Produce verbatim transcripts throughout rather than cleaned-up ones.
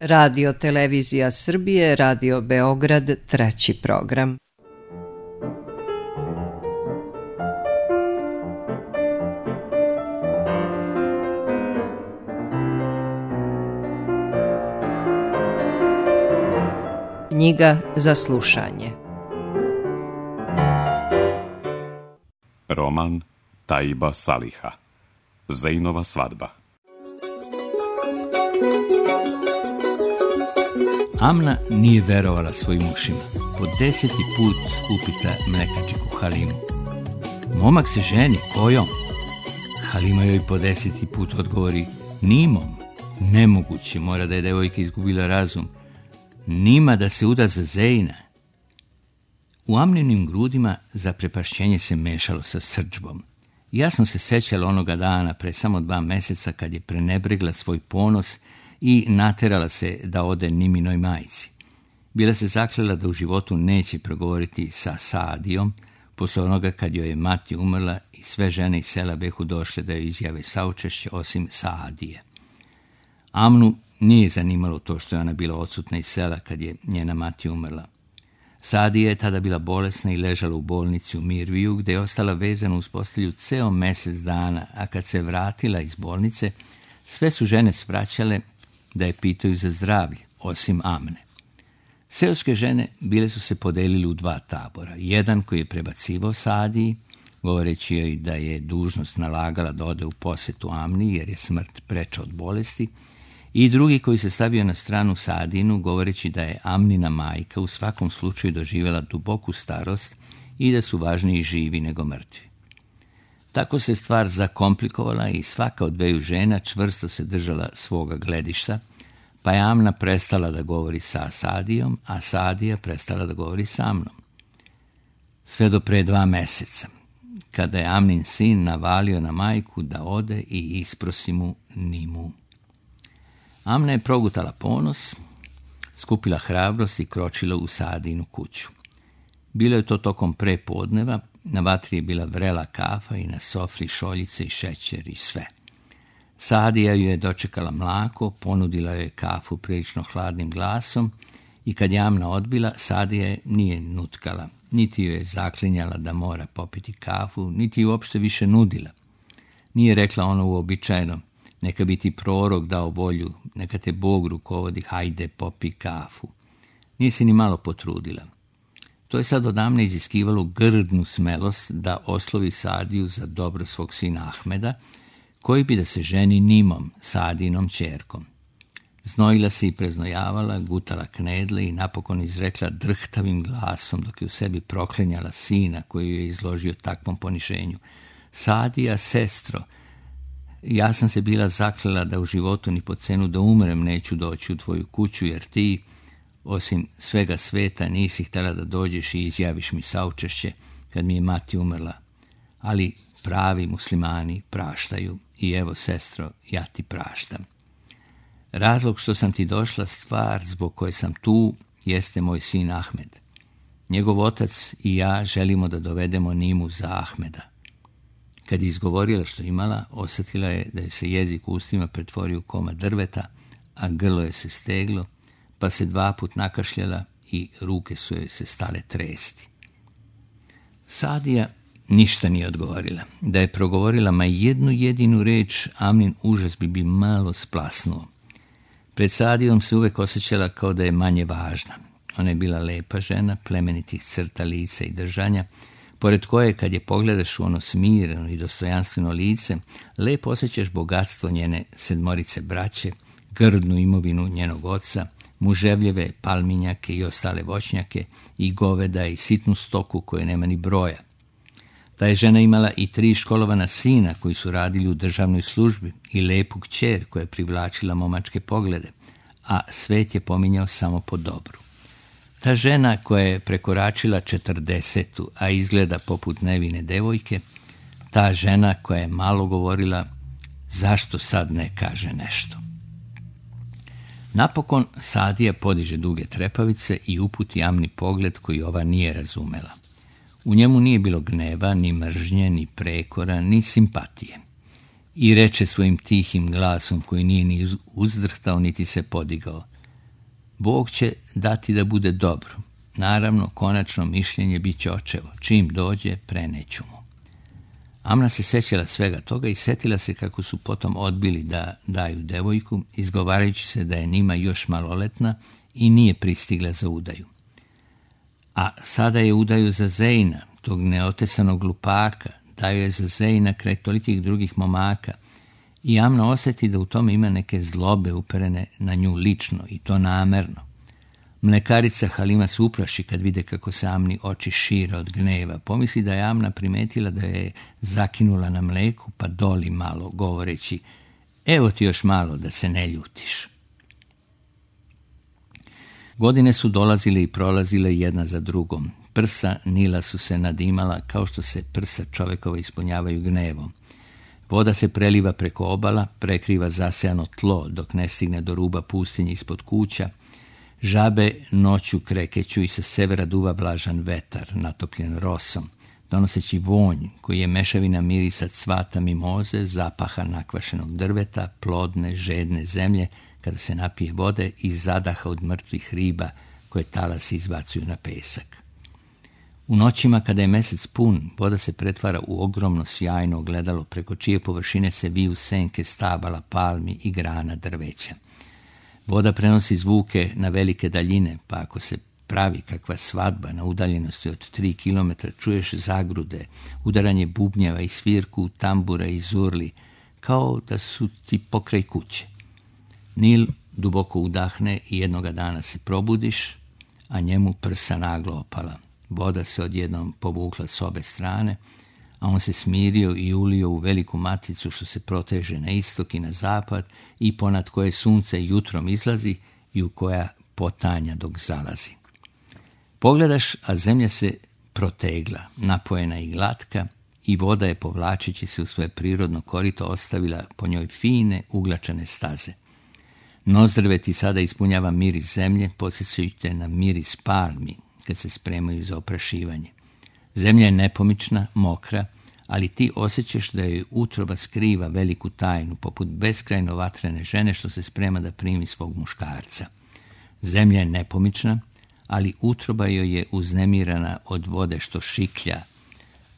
Radio Televizija Srbije, Radio Beograd, treći program. Knjiga za slušanje. Roman Taiba Saliha. Zejnova svadba. Amna nije verovala svojim ušima. Po deseti put upita mlekačiku Halimu: momak se ženi, kojom? Halima joj po deseti put odgovori: nimom. Nemoguće, mora da je devojka izgubila razum. Nima da se uda za Zejna. U Amninim grudima zaprepašćenje se mešalo sa srdžbom. Jasno se sećala onoga dana pre samo dva meseca kad je prenebregla svoj ponos i naterala se da ode Niminoj majci. Bila se zaklela da u životu neće progovoriti sa Saadijom, posle onoga kad joj je mati umrla i sve žene iz sela behu došle da joj izjave saučešće osim Saadije. Amnu nije zanimalo to što je ona bila odsutna iz sela kad je njena mati umrla. Saadija je tada bila bolesna i ležala u bolnici u Mirviju, gde je ostala vezana uz postelju ceo mesec dana, a kad se vratila iz bolnice, sve su žene svraćale da je pitaju za zdravlje, osim Amne. Seoske žene bile su se podelili u dva tabora. Jedan koji je prebacivao Saadiji, govoreći joj da je dužnost nalagala da ode u posetu Amni jer je smrt preča od bolesti, i drugi koji se stavio na stranu Saadinu, govoreći da je Amnina majka u svakom slučaju doživjela duboku starost i da su važniji živi nego mrtvi. Tako se stvar zakomplikovala i svaka od dveju žena čvrsto se držala svoga gledišta, pa je Amna prestala da govori sa Saadijom, a Saadija prestala da govori sa Amnom. Sve do pre dva meseca, kada je Amnin sin navalio na majku da ode i isprosi mu Nimu. Amna je progutala ponos, skupila hrabrost i kročila u Saadinu kuću. Bilo je to tokom prepodneva, na vatri je bila vrela kafa i na sofri šoljice i šećer i sve. Saadija ju je dočekala mlako, ponudila joj kafu prilično hladnim glasom i kad je Amna odbila, Saadija je nije nutkala, niti joj je zaklinjala da mora popiti kafu, niti ju uopšte više nudila. Nije rekla ono uobičajeno: neka bi ti prorok dao volju, neka te Bog rukovodi, hajde popi kafu. Nije se ni malo potrudila. To je sad od Amne iziskivalo grdnu smelost da oslovi Saadiju za dobro svog sina Ahmeda, koji bi da se ženi Nimom, Saadinom ćerkom. Znojila se i preznojavala, gutala knedle i napokon izrekla drhtavim glasom, dok je u sebi proklinjala sina koji ju je izložio takvom poniženju: Saadija, sestro, ja sam se bila zaklela da u životu ni po cenu da umrem neću doći u tvoju kuću, jer ti, osim svega sveta, nisi htjela da dođeš i izjaviš mi saučešće kad mi je mati umrla. Ali pravi muslimani praštaju i evo, sestro, ja ti praštam. Razlog što sam ti došla, stvar zbog koje sam tu, jeste moj sin Ahmed. Njegov otac i ja želimo da dovedemo Nimu za Ahmeda. Kad je izgovorila što imala, osjetila je da je se jezik u ustima pretvorio u komad drveta, a grlo je se steglo, pa se dva put nakašljala i ruke su joj se stale tresti. Saadija ništa nije odgovorila. Da je progovorila ma jednu jedinu reč, Amnin užas bi bi malo splasnuo. Pred Saadijom se uvek osjećala kao da je manje važna. Ona je bila lepa žena, plemenitih crta lica i držanja, pored koje, kad je pogledaš u ono smireno i dostojanstveno lice, lepo osjećaš bogatstvo njene sedmorice braće, grdnu imovinu njenog oca, muževljeve palminjake i ostale voćnjake, i goveda i sitnu stoku koje nema ni broja. Ta je žena imala i tri školovana sina koji su radili u državnoj službi i lepu kćer koja je privlačila momačke poglede, a svet je pominjao samo po dobru. Ta žena koja je prekoračila četrdesetu, a izgleda poput nevine devojke, ta žena koja je malo govorila, zašto sad ne kaže nešto? Napokon Saadija podiže duge trepavice i uputi Amni pogled koji ova nije razumela. U njemu nije bilo gneva, ni mržnje, ni prekora, ni simpatije. I reče svojim tihim glasom koji nije ni uzdrhtao niti se podigao: Bog će dati da bude dobro. Naravno, konačno mišljenje bit će očevo. Čim dođe, preneću mu. Amna se sećala svega toga i setila se kako su potom odbili da daju devojku, izgovarajući se da je Nima još maloletna i nije pristigla za udaju. A sada je udaju za Zejna, tog neotesanog glupaka, daju je za Zejna kraj tolikih drugih momaka, i Amna osjeti da u tome ima neke zlobe uperene na nju lično, i to namerno. Mlekarica Halima se uplaši kad vide kako se Amni oči šire od gneva. Pomisli da je Amna primetila da je zakinula na mleku, pa doli malo, govoreći: evo ti još malo da se ne ljutiš. Godine su dolazile i prolazile jedna za drugom. Prsa Nila su se nadimala kao što se prsa čovekova ispunjavaju gnevom. Voda se preliva preko obala, prekriva zasejano tlo dok ne stigne do ruba pustinje ispod kuća. Žabe noću krekeću i sa severa duva vlažan vetar, natopljen rosom, donoseći vonj koji je mešavina mirisa cvata mimoze, zapaha nakvašenog drveta, plodne, žedne zemlje, kada se napije vode i zadaha od mrtvih riba koje talasi izbacuju na pesak. U noćima kada je mesec pun, voda se pretvara u ogromno sjajno ogledalo preko čije površine se viju senke stabala, palmi i grana drveća. Voda prenosi zvuke na velike daljine, pa ako se pravi kakva svadba na udaljenosti od tri kilometra, čuješ zagrude, udaranje bubnjeva i svirku tambura i zurli, kao da su ti pokraj kuće. Nil duboko udahne i jednoga dana se probudiš, a njemu prsa naglo opala. Voda se odjednom povukla s obe strane, a on se smirio i ulio u veliku maticu što se proteže na istok i na zapad i ponad koje sunce jutrom izlazi i u koja potanja dok zalazi. Pogledaš, a zemlja se protegla, napojena i glatka, i voda je, povlačeći se u svoje prirodno korito, ostavila po njoj fine, uglačane staze. Nozdrve ti sada ispunjava miris zemlje, podsjećajući na miris palmi kad se spremaju za oprašivanje. Zemlja je nepomična, mokra, ali ti osjećaš da joj utroba skriva veliku tajnu, poput beskrajno vatrene žene što se sprema da primi svog muškarca. Zemlja je nepomična, ali utroba joj je uznemirana od vode što šiklja,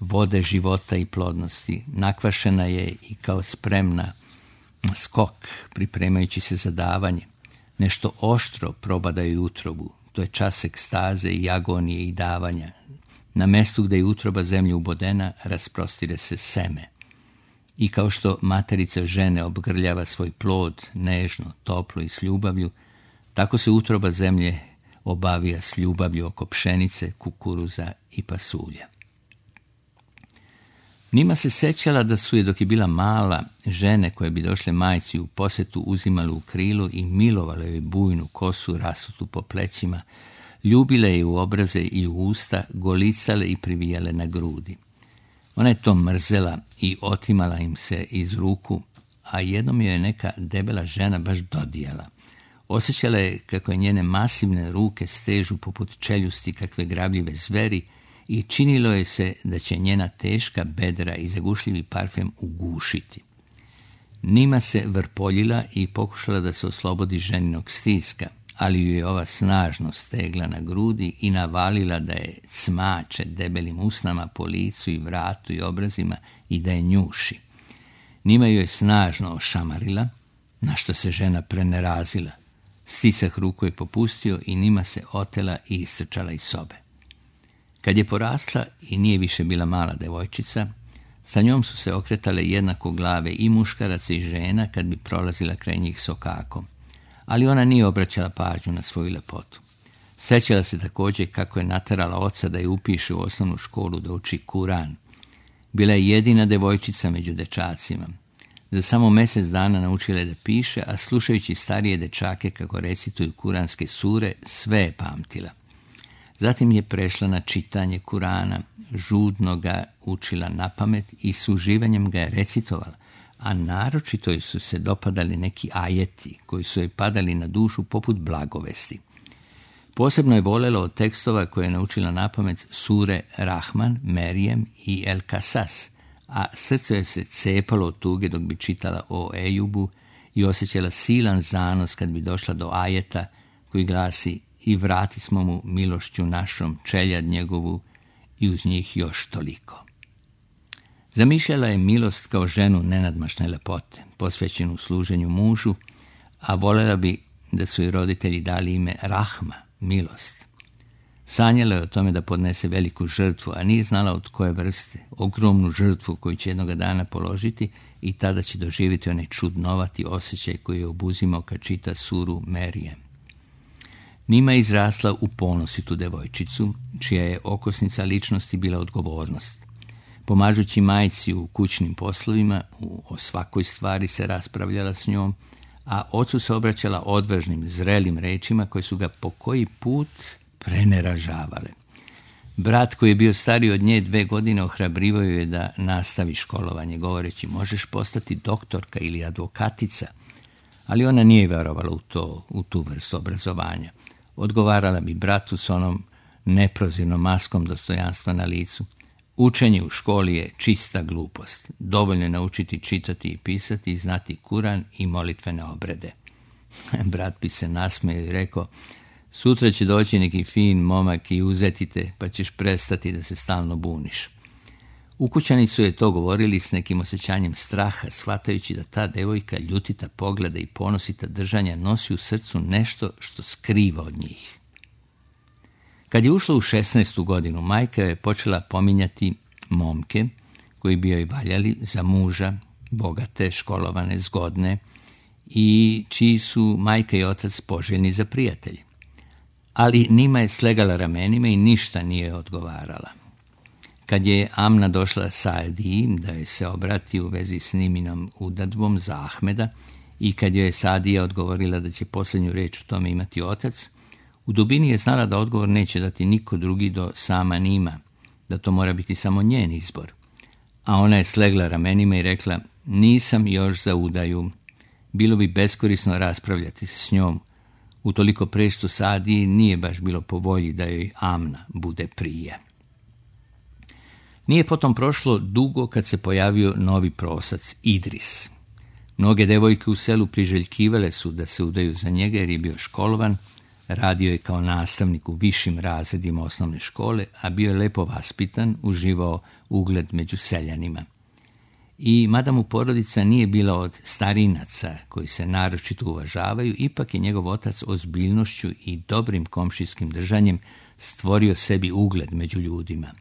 vode života i plodnosti. Nakvašena je i kao spremna skok, pripremajući se za davanje. Nešto oštro probada joj utrobu, to je čas ekstaze i agonije i davanja. Na mestu gde je utroba zemlje ubodena, rasprostire se seme. I kao što materica žene obgrljava svoj plod, nežno, toplo i s ljubavlju, tako se utroba zemlje obavija s ljubavlju oko pšenice, kukuruza i pasulja. Nima se sećala da su je, dok je bila mala, žene koje bi došle majci u posetu uzimale u krilu i milovale joj bujnu kosu rasutu po plećima, ljubile je u obraze i u usta, golicale i privijale na grudi. Ona je to mrzela i otimala im se iz ruku, a jednom joj je neka debela žena baš dodijala. Osjećala je kako je njene masivne ruke stežu poput čeljusti kakve grabljive zveri i činilo je se da će njena teška bedra i zagušljivi parfem ugušiti. Nima se vrpoljila i pokušala da se oslobodi ženinog stiska, ali ju je ova snažno stegla na grudi i navalila da je cmače debelim usnama po licu i vratu i obrazima i da je njuši. Nima ju je snažno ošamarila, na što se žena prenerazila. Stisak ruku je popustio i Nima se otela i istrčala iz sobe. Kad je porasla i nije više bila mala devojčica, sa njom su se okretale jednako glave i muškaraca i žena kad bi prolazila kraj njih sokakom, ali ona nije obraćala pažnju na svoju lepotu. Sećala se također kako je naterala oca da je upiše u osnovnu školu da uči Kuran. Bila je jedina devojčica među dečacima. Za samo mjesec dana naučila je da piše, a slušajući starije dečake kako recituju kuranske sure, sve je pamtila. Zatim je prešla na čitanje Kurana, žudno ga učila napamet i s uživanjem ga je recitovala, a naročito joj su se dopadali neki ajeti koji su joj padali na dušu poput blagovesti. Posebno je voljela od tekstova koje je naučila napamet sure Rahman, Merijem i El Kasas, a srce joj se cepalo od tuge dok bi čitala o Ejubu i osjećala silan zanos kad bi došla do ajeta koji glasi: i vrati smo mu milošću našom čeljad njegovu i uz njih još toliko. Zamišljala je milost kao ženu nenadmašne lepote, posvećenu služenju mužu, a voljela bi da su joj roditelji dali ime Rahma, milost. Sanjala je o tome da podnese veliku žrtvu, a nije znala od koje vrste, ogromnu žrtvu koju će jednoga dana položiti i tada će doživjeti onaj čudnovati osjećaj koji je obuzimao kad čita suru Merijem. Nima je izrasla u ponositu devojčicu, čija je okosnica ličnosti bila odgovornost. Pomažući majci u kućnim poslovima, u, o svakoj stvari se raspravljala s njom, a ocu se obraćala odvažnim, zrelim rečima koje su ga po koji put preneražavale. Brat, koji je bio stariji od nje dve godine, ohrabrivao je da nastavi školovanje, govoreći: možeš postati doktorka ili advokatica. Ali ona nije vjerovala u to, u tu vrstu obrazovanja. Odgovarala bi bratu s onom neprozirnom maskom dostojanstva na licu: učenje u školi je čista glupost. Dovoljno je naučiti čitati i pisati i znati Kuran i molitvene obrede. Brat bi se nasmejao i rekao: sutra će doći neki fin momak i uzeti te, pa ćeš prestati da se stalno buniš. Ukućani su je to govorili s nekim osjećanjem straha, shvatajući da ta devojka ljutita pogleda i ponosita držanja nosi u srcu nešto što skriva od njih. Kad je ušla u šesnaestu godinu, majka je počela pominjati momke koji bi joj valjali za muža, bogate, školovane, zgodne i čiji su majka i otac poželjni za prijatelji. Ali Nima je slegala ramenima i ništa nije odgovarala. Kad je Amna došla Saadiji da joj se obrati u vezi s Niminom udadbom za Ahmeda i kad joj je Saadija odgovorila da će posljednju riječ o tome imati otac, u dubini je znala da odgovor neće dati niko drugi do sama Nima, da to mora biti samo njen izbor. A ona je slegla ramenima i rekla: nisam još za udaju. Bilo bi beskorisno raspravljati se s njom. Utoliko preštu Saadiji nije baš bilo po volji da joj Amna bude prije. Nije potom prošlo dugo kad se pojavio novi prosac, Idris. Mnoge devojke u selu priželjkivale su da se udaju za njega jer je bio školovan, radio je kao nastavnik u višim razredima osnovne škole, a bio je lepo vaspitan, uživao ugled među seljanima. I mada mu porodica nije bila od starinaca koji se naročito uvažavaju, ipak je njegov otac ozbiljnošću i dobrim komšijskim držanjem stvorio sebi ugled među ljudima.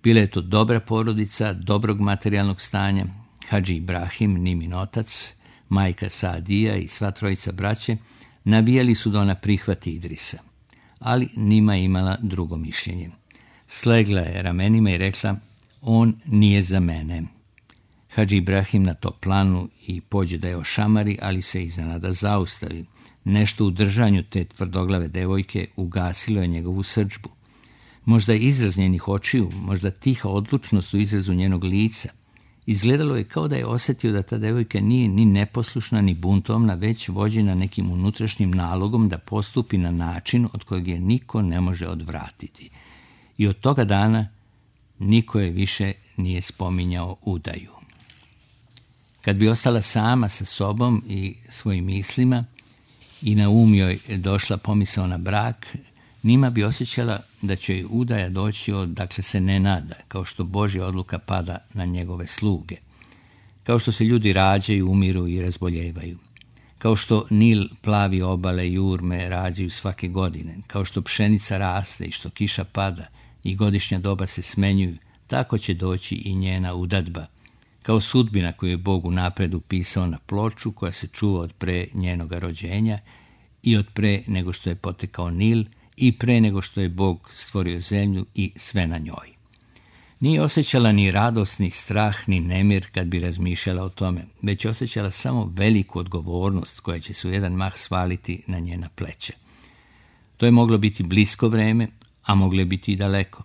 Bila je to dobra porodica, dobrog materijalnog stanja. Hadži Ibrahim, Nimin otac, majka Saadija i sva trojica braće navijali su da ona prihvati Idrisa. Ali Nima je imala drugo mišljenje. Slegla je ramenima i rekla: on nije za mene. Hadži Ibrahim na to planu i pođe da je ošamari, ali se iznenada zaustavi. Nešto u držanju te tvrdoglave devojke ugasilo je njegovu srdžbu. Možda izraz njenih očiju, možda tiha odlučnost u izrazu njenog lica. Izgledalo je kao da je osjetio da ta devojka nije ni neposlušna ni buntovna, već vođena nekim unutrašnjim nalogom da postupi na način od kojeg je niko ne može odvratiti. I od toga dana niko je više nije spominjao udaju. Kad bi ostala sama sa sobom i svojim mislima i na um joj došla pomisao na brak, Nima bi osjećala da će joj udaja doći od dakle se ne nada, kao što Božja odluka pada na njegove sluge. Kao što se ljudi rađaju, umiru i razboljevaju. Kao što Nil plavi obale i urme rađaju svake godine. Kao što pšenica raste i što kiša pada i godišnja doba se smenjuju, tako će doći i njena udadba. Kao sudbina koju je Bog unapred upisao na ploču koja se čuva od pre njenoga rođenja i od pre nego što je potekao Nil i pre nego što je Bog stvorio zemlju i sve na njoj. Nije osjećala ni radost, ni strah, ni nemir kad bi razmišljala o tome, već osjećala samo veliku odgovornost koja će se u jedan mah svaliti na njena pleća. To je moglo biti blisko vreme, a moglo je biti i daleko.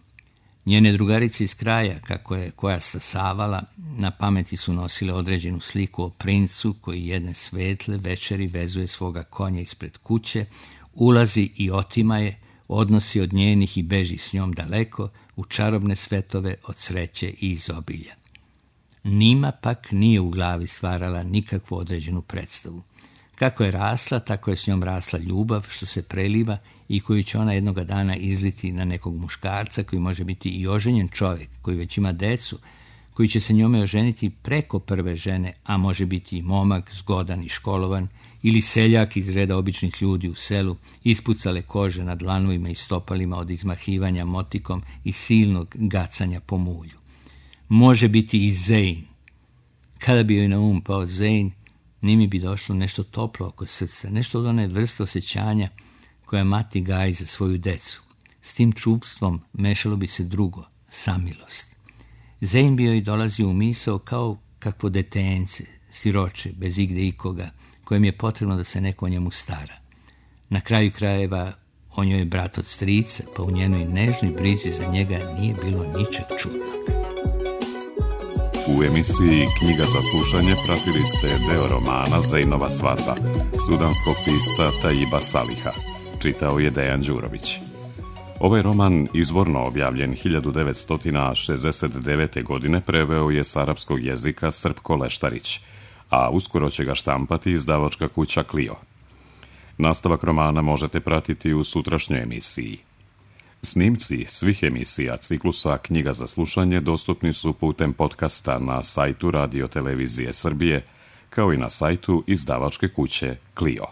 Njene drugarice iz kraja, kako je koja stasavala, na pameti su nosile određenu sliku o princu koji jedne svetle večeri vezuje svoga konja ispred kuće, ulazi i otima je, odnosi od njenih i beži s njom daleko u čarobne svetove od sreće i izobilja. Nima pak nije u glavi stvarala nikakvu određenu predstavu. Kako je rasla, tako je s njom rasla ljubav što se preliva i koju će ona jednoga dana izliti na nekog muškarca koji može biti i oženjen čovjek, koji već ima decu, koji će se njome oženiti preko prve žene, a može biti i momak, zgodan i školovan, ili seljak iz reda običnih ljudi u selu, ispucale kože na dlanovima i stopalima od izmahivanja motikom i silnog gacanja po mulju. Može biti i Zein. Kada bi joj na um pao Zein, Nimi bi došlo nešto toplo oko srca, nešto od one vrste osjećanja koja mati gaji za svoju decu. S tim čupstvom mešalo bi se drugo, samilost. Zein bi joj dolazio u misao kao kakvo detence, siroče, bez igde ikoga, kojem je potrebno da se neko o njemu stara. Na kraju krajeva, on joj je brat od strica, pa u njenoj nežnoj brizi za njega nije bilo ničeg čudnog. U emisiji Knjiga za slušanje pratili ste deo romana Zeinova svadba, sudanskog pisca Taiba Saliha. Čitao je Dejan Đurović. Ovaj roman, izvorno objavljen hiljadu devetsto šezdeset devete. godine, preveo je s arapskog jezika Srpko Leštarić, a uskoro će ga štampati izdavačka kuća Clio. Nastavak romana možete pratiti u sutrašnjoj emisiji. Snimci svih emisija ciklusa Knjiga za slušanje dostupni su putem podcasta na sajtu Radio Televizije Srbije, kao i na sajtu izdavačke kuće Clio.